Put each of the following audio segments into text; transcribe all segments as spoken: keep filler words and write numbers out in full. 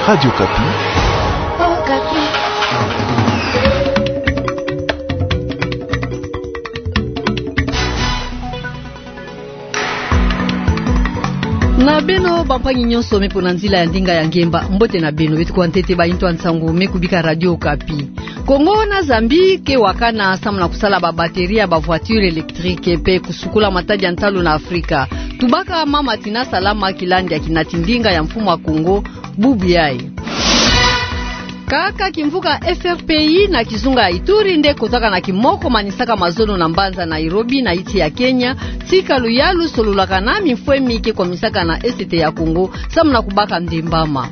Radio Okapi. Na beno bampangi nyonso me mpo na nzila ya ndinga ya ngemba, mbote na beno. Beto kwa ntete baintu ya nsangu me kubika Radio Okapi. Kongo na Zambie ke wakana samu na kusala ba batterie ya ba voiture électrique mpe kusukula matadi ya ntalu na Afrika. Tubaka Mama Tina Salama, kilandi ya kinati ndinga ya mfumu ya Kongo, bubu yayi. Kaka kimvuka F R P I na kizunga ya Ituri nde kotaka na kimoko manisaka mazono na mbanza Nairobi na insi ya Kenya, tika luyalu solulaka na mifwemi ke kwamisaka na Est ya Kongo, samu na kubaka ndembama.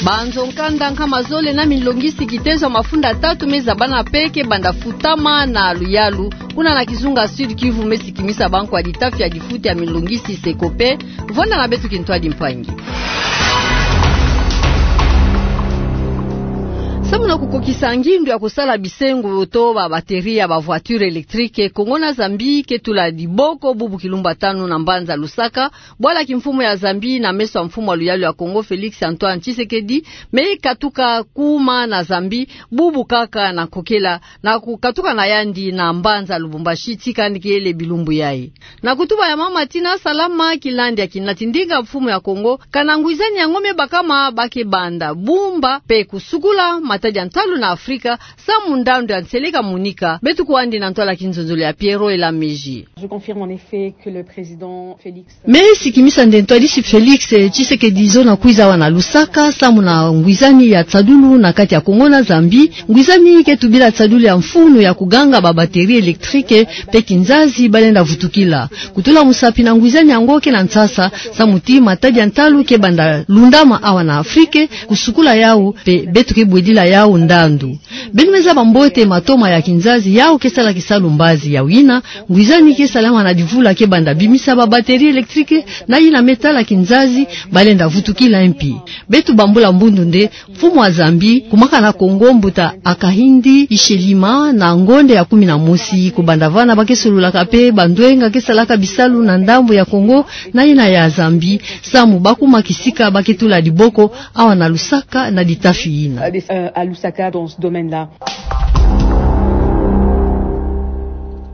Banzo nkanda nkama zole na milongisi kitezo ya mafunda tatu me zabana mpe ke banda futama na luyalu, kuna na kizunga Sud-Kivu, me sikimisa bankwa ditafi ya difuti ya milongisi Secope. Vwanda na beto kintwadi mpangi. Samu na kukokisa ngindu ya kusala bisengo to ba batterie ya ba voiture électrique, Kongo na Zambie ke tula diboko bubu kilumbu tanu na mbanza Lusaka, bwala kimfumu ya Zambie na meso ya mfumu ya luyalu ya Kongo, Félix Antoine Tshisekedi, me katuka kuma na Zambie bubu kaka na nkokela, na kukatuka na yandi na mbanza Lubumbashi tika yandi kele bilumbu yayi. Na kutuba ya Mama Tina Salama, kilandi ya kinati ndinga mfumu ya Kongo, kana ngwizani yango me bakama ba ke banda bumba mpe kusukula matadi ya ntalu na Afrika, samu ndandu ya nseleka monika. Beto kwandi na ntwala kinzonzolo ya Pierrot Elamiji. Je confirme en effet que le président Félix Me sikimisa nde ntwadisi Félix Tshisekedi zona kwiza awa na Lusaka, samu na ngwizani ya tsadulu na kati ya Kongo na Zambie, ngwizani ke tubila tsadulu ya mfunu ya kuganga ba batterie électrique mpe kinzazi balenda vutukila. Kutula musapi na ngwizani yango ke na nsasa, samu ti matadi ya ntalu ke banda lundama awa na Afrique, kusukula yawu, mpe beto ke bwedila yawu ndandu. Beno me zaba mbote matoma ya kinzazi yawu ke sala kisalu mbazi. Yawu yina, ngwizani ke salama na divula ke banda bimisa ba batterie électrique, na yina me tala kinzazi balenda vutukila mpi. Beto bambula mbundu nde, mfumu wa Zambie, kumaka na Kongo mbuta Hakainde Hichilema na ngonde ya kumi na mosi, kubanda vana ba ke solulaka mpe bandwenga ke salaka bisalu na ndambu ya Kongo na yina ya Zambie, samu ba kuma kisika ba ke tula diboko awa na Lusaka na ditafi yina. Euh, à Lusaka, dans ce domaine-là.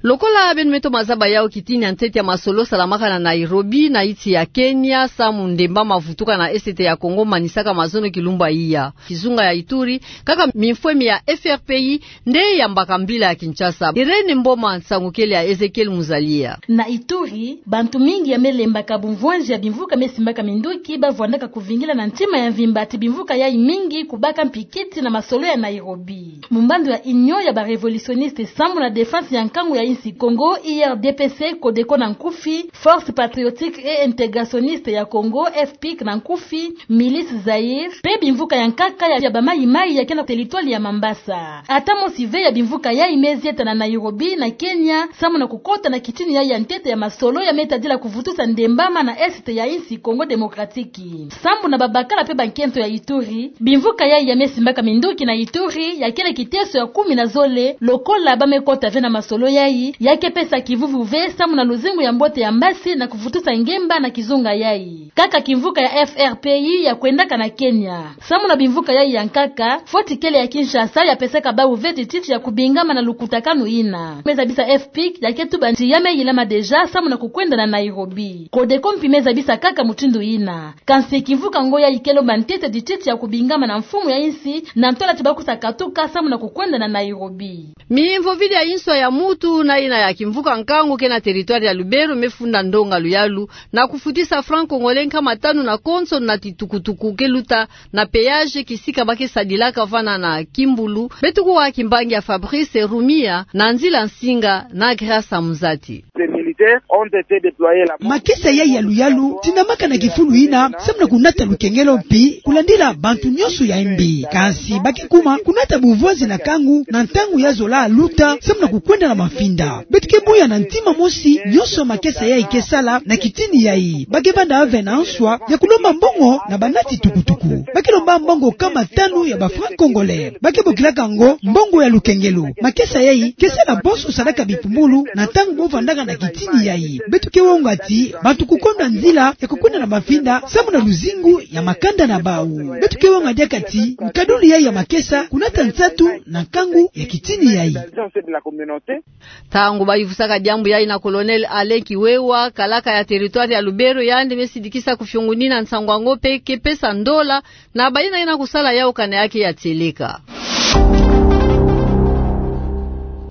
Lokola beno me toma zaba yawu, kitini ya ntete ya masolo salamaka na Nairobi, na insi ya Kenya, samu ndemba ma vutuka na Est ya Kongo manisaka mazono kilumbu ya iya. Kizunga ya Ituri, kaka mifwemi ya F R P I nde yambaka mbila ya Kinshasa. Irène Mboma, nsangu kele ya Ezekiel Muzalia. Na Ituri, bantu mingi ya me lembaka bumvwanzi ya bimvuka me simbaka minduki, ba vwandaka kuvingila na ntima ya mvimba ti bimvuka yayi mingi kubaka mpikiti na masolo ya Nairobi. Mumbando ya Union ya ba révolutionnistes sambu na défense ya nkangu ya insi Kongo, U R D P C, CODECO na nkufi, Force Patriotique et Intégrationniste ya Kongo, F P I C na nkufi, Milice Zaïre, mpe bimvuka ya nkaka ya, ya ba Maï-Maï ya ke na territoire ya Mambasa. Ata mosi ve ya bimvuka yayi me zieta na Nairobi na Kenya, sambu na kukota na kitini yayi ya ntete ya masolo ya me tadila kuvutusa ndembama na Est ya insi Congo Démocratique. Sambu na babakala mpe bankento ya Ituri, bimvuka yayi ya me simbaka minduki na Ituri, ya kele kiteso ya kumi na zole, lokola ba me kota ve na masolo yayi, ya ke pesa kivuvu ve sambu na luzingu ya mbote ya mbasi na kuvutusa ngemba na kizunga yayi. Kaka kimvuka ya F R P I ya kwendaka na Kenya. Sambu na bimvuka yayi ya nkaka, foti kele ya Kinshasa ya pesaka bawu ve tititi ya kubingama na lukutakanu yina. Me zabisa F P I C ya ke tuba ti ya me yilama déjà sambu na kukwenda na Nairobi. CODECO mpi me zabisa kaka mutindu yina. Kansi kimvuka ngo yayi ke lomba ntete tititi ya kubingama na mfumu ya insi, na ntola ti ba kusa katuka sambu na kukwenda na Nairobi. Mimvovidi ya inswa ya mutu na yina ya kimvuka nkangu ke na territoire ya Lubero me funda ndonga luyalu na kufutisa franc congolais nkama tanu na konso na titukutuku ke luta na péage, kisika ba ke sadilaka vana na Kimbulu. Beto kuwa kimbangi ya Fabrice Rumia na nzila nsinga na Grâce Muzati. Les militaires ont été déployés là-bas. Makesa yayi ya luyalu tinamaka na kifulu yina, sambu na kunata lukengelo mpi kulandila bantu nyonso ya mbi. Kansi ba ke kuma kunata bumvwanzi na nkangu na ntangu ya zola luta, sambu na kukwenda na mafinda. Beto ke buya na ntima mosi nyonso makesa yayi ke sala na kitini yayi. Ba ke vanda ave na nswa ya kulomba mbongo na banati tukutuku. Ba ke lomba mbongo kama tanu ya ba francs congolais. Ba ke bokilaka yango mbongo ya lukengelo. Makesa yayi ke sala bonso sadaka bipumbulu na ntangu bo vandaka na kitini yayi. Beto ke wonga ti bantu kukondwa nzila ya kukwenda na mavinda samu na luzingu ya makanda na bawu. Beto ke wonga diaka ti nkadulu yayi ya makesa kunata nsatu na nkangu ya kitini yayi. Ntangu bayuvusaka diambu yayi na Colonel Alain Kiwewa, kalaka ya territoire ya Lubero, yandi me sidikisa kufiongunina nsangu yango mpe ke pesa ndola na bayina yina kusala yawu kana ya ke ya tieleka.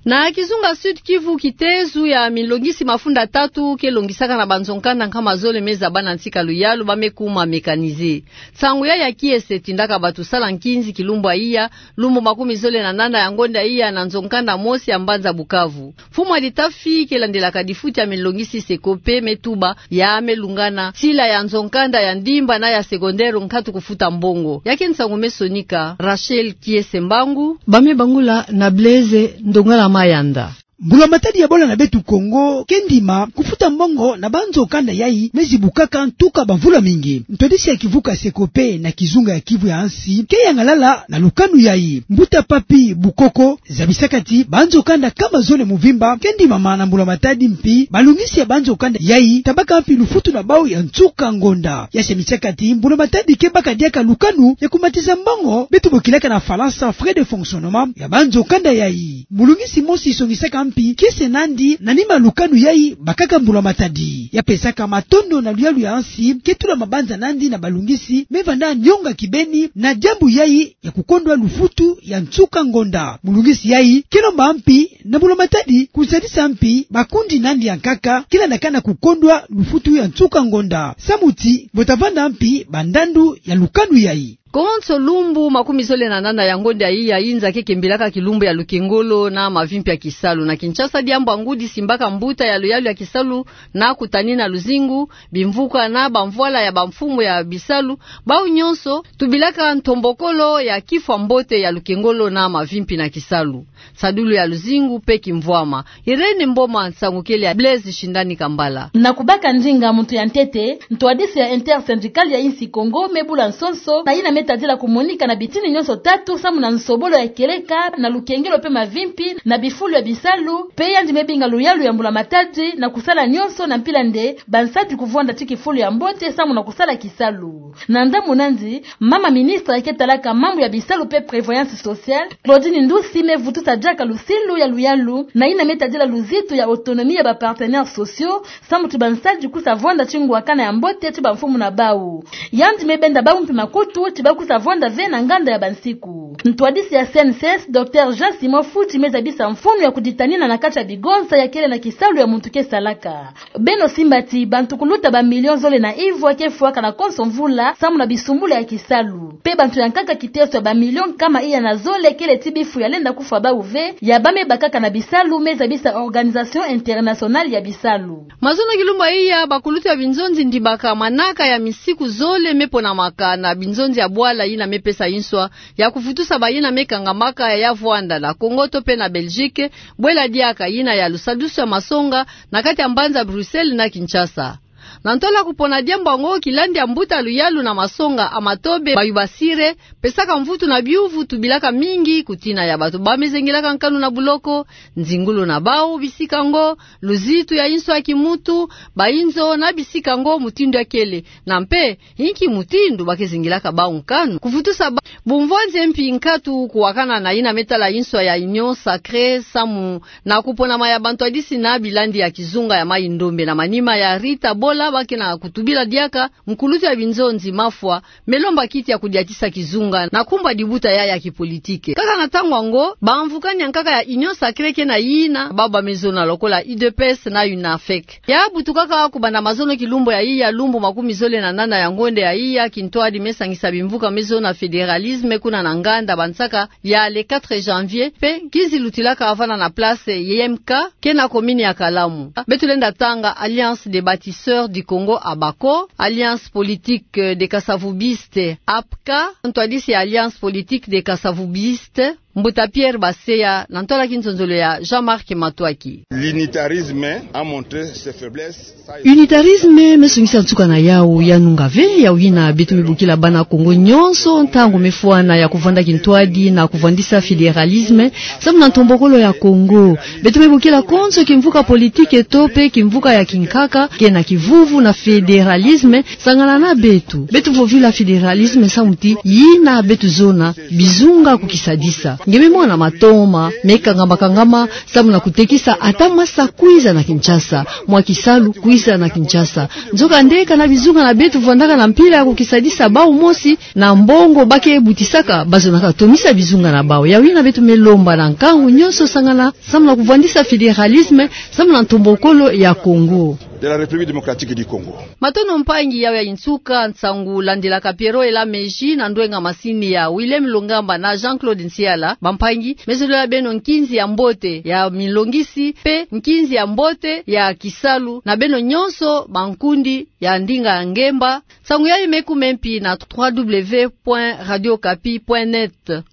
Na kizunga Sud-Kivu, kitezo ya milongisi mafunda tatu ke longisaka na banzo-nkanda nkama zole me zaba na nsi ka luyalu ba me kuma mécanisés. Nsangu yayi ya kiese etindaka bato sala nkinzi kilumbu ya iya, lumbu makumi zole na nana ya ngonda ya iya, na nzo-nkanda mosi ya mbanza Bukavu. Mfumu ya litafi ke landelaka difuti ya milongisi SECOPE me tuba ya me lungana sila ya nzo-nkanda ya ndimba na ya secondaire nkatu kufuta mbongo. Ya ke nsangu me sonika Rachel Kiese Mbangu. Ba me bangula na Blaise Ndongala Mayanda. Mbula-matadi ya bola na beto Kongo ke ndima kufuta mbongo na banzo-nkanda yayi me zibukaka ntuka bamvula mingi. Ntwadisi ya kivuka SECOPE na kizunga ya Kivu ya nsi ke yangalala na lukanu yayi. Mbuta Papy Bukoko zabisaka ti banzo-nkanda nkama zole mvimba ke ndimama na mbula-matadi, mpi balungisi ya banzo-nkanda yayi tabaka mpi lufutu na bawu ya nsuka ngonda. Ya samisaka ti mbula-matadi ke baka diaka lukanu ya kumatisa mbongo beto bokilaka na Falansa frais de fonctionnement ya banzo-nkanda yayi. Mulungisi mosi songisaka mpi kiese nandi na nima lukanu yayi bakaka mbula-matadi. Ya pesaka matondo na luyalu ya nsi ke tula mabanza nandi na balungisi me vanda nionga kibeni na diambu yayi ya kukondwa lufutu ya nsuka ngonda. Mulungisi yayi ke lomba mpi na mbula-matadi kusadisa mpi bakundi nandi ya nkaka ke landaka na kukondwa lufutu ya nsuka ngonda, samu ti bo ta vanda mpi bandandu ya lukanu yayi. Konso lumbu makumi zole na nana ya ngonda ya iya, inza ke kembilaka kilumbu ya lukengolo na mavimpi ya kisalu. Na Kinshasa, diambu ya ngudi simbaka mbuta ya luyalu ya kisalu na kutanina luzingu, bimvuka na bamvwala ya bamfumu ya bisalu, bawu nyonso tubilaka ntombokolo ya kifwa mbote ya lukengolo na mavimpi na kisalu, nsadulu ya luzingu mpe kimvwama. Irène Mboma, nsangu kele ya Blaise Shindani Kambala. Na kubaka ndinga muntu ya ntete, ntwadisi ya Intersyndical ya insi Kongo me bula nsonso na yina me tadila kumonika na bitini nyonso tatu samu na nsobolo ya kieleka na lukengelo mpe mavimpi na bifulu ya bisalu, mpe yandi me binga luyalu ya mbula-matadi na kusala nyonso na mpila nde bansadi kuvwanda ti kifulu ya mbote samu na kusala kisalu. Na ndamu nandi, mama ministre ya ke talaka mambu ya bisalu mpe prévoyance sociale, Claudine Ndusi, me vutusa diaka lusilu ya luyalu na yina me tadila luzitu ya autonomie ya ba partenaires sociaux, samu ti bansadi kusa vwanda ti ngwakana ya mbote ti bamfumu na bawu. Yandi me benda bawu mpi makutu ti ba kusa vwanda ve na nganda ya bansiku. Ntwadisi ya C N C S, Docteur Jean Simon Futi, me zabisa mfunu ya kuditanina na kati ya bigonsa ya kele na kisalu ya muntu ke salaka. Beno simba ti bantu kuluta ba millions zole na ivwa ke fwaka na konso mvula samu na bisumbula ya kisalu. Mpe bantu ya nkaka kiteso ya ba millions nkama iya na zole kele ti bifu ya lenda kufwa bawu ve, ya ba me bakaka na bisalu, me zabisa Organisation Internationale ya Bisalu. Mazono kilumbu ya iya, bakulutu ya binzonzi ndimaka manaka ya misiku zole me ponamaka na binzonzi ya bwala yina me pesa inswa ya kuvutusa bayina me kangamaka ya vwanda na Kongo to mpe na Belgique, bwela diaka yina ya lusadusu ya masonga na kati ya mbanza Bruxelles na Kinshasa. Na ntola kupona diambu yango, kilandi ya mbuta luyalu na masonga Amatobe Bayubasire pesaka mvutu na biuvu tubilaka mingi kutina ya bato ba me zengelaka nkanu na buloko, nzingulu na bawu bisika yango, luzitu ya inswa ya kimuntu, bainzo na bisika yango mutindu ya kele, na mpe inki mutindu ba ke zengelaka bawu nkanu. Kuvutusa ba-, bumvwanzi mpi nkatu kuwakana na yina me tala inswa ya Union Sacrée samu na kuponama ya bantwadisi na bilandi ya kizunga ya Mai-Ndombe na manima ya Rita Bola, ba ke na kutubila diaka nkulutu ya binzonzi Mafwa me lomba kiti ya kudiatisa kizunga na kumba dibuta ya ya kipolitike. Kaka na ntangu yango, bamvukani ya nkaka ya Union Sacrée ke na yina bawu ba me zona lokola U D P S na UNAFEC. Ya butukaka kubanda mazono kilumbu ya iya, lumbu makumi zole na nana ya ngonda ya iya, kintwadi me sangisa bimvuka me zona fédéralisme kuna na nganda bansaka ya le quatre janvier, mpe nkinzi lutilaka vana na place Y M K, ke na commune ya Kalamu. Beto lenda tanga Alliance des Bâtisseurs du Congo, ABACO, Alliance Politique des Kasavumbistes, APCA, ntwadisi ya Alliance Politique des Kasavumbistes, Mbuta Pierre Baseya, na ntwala ki nzonzolo ya Jean-Marc Matuaki. L'unitarisme a montré ses faiblesses. Unitarisme mesongisa nsuka na yawu, ya nunga ve, yawu yina beto me bokila bana Kongo nyonso, ntangu mefwana ya kuvanda kintwadi na kuvandisa fédéralisme, samu na ntombokolo ya Kongo. Beto me bokila konso kimvuka politike to pe kimvuka ya kinkaka, ke na kivuvu na fédéralisme, sangana na beto. Beto vovila fédéralisme samu ti yina beto zona bizunga kukisadisa. Nge me mona matoma mekangama-kangama, samu na kutekisa ata masa kwiza na Kinshasa, mwa kisalu kwiza na Kinshasa. Nzokande kana bizunga na beto vandaka na mpila ya kukisadisa bawu mosi, na mbongo ba ke butisaka, bazonaka tomisa bizunga na bawu. Yawu yina beto me lomba na nkangu nyonso sangana, samu na kuvandisa fédéralisme, samu na ntombokolo ya Kongo. De la République démocratique du Congo. Matondo mpangi, yawu ya nsuka nsangu landilaka Pierrot Elameji na ndwenga masini ya Willem Lungamba na Jean-Claude Nsiala. Bampangi, me zolila beno nkinzi ya mbote ya milongisi, pe nkinzi ya mbote ya kisalu, na beno nyonso bankundi ya ndinga ya ngemba. Nsangu yayi me kume mpi na trois W point radio okapi point net.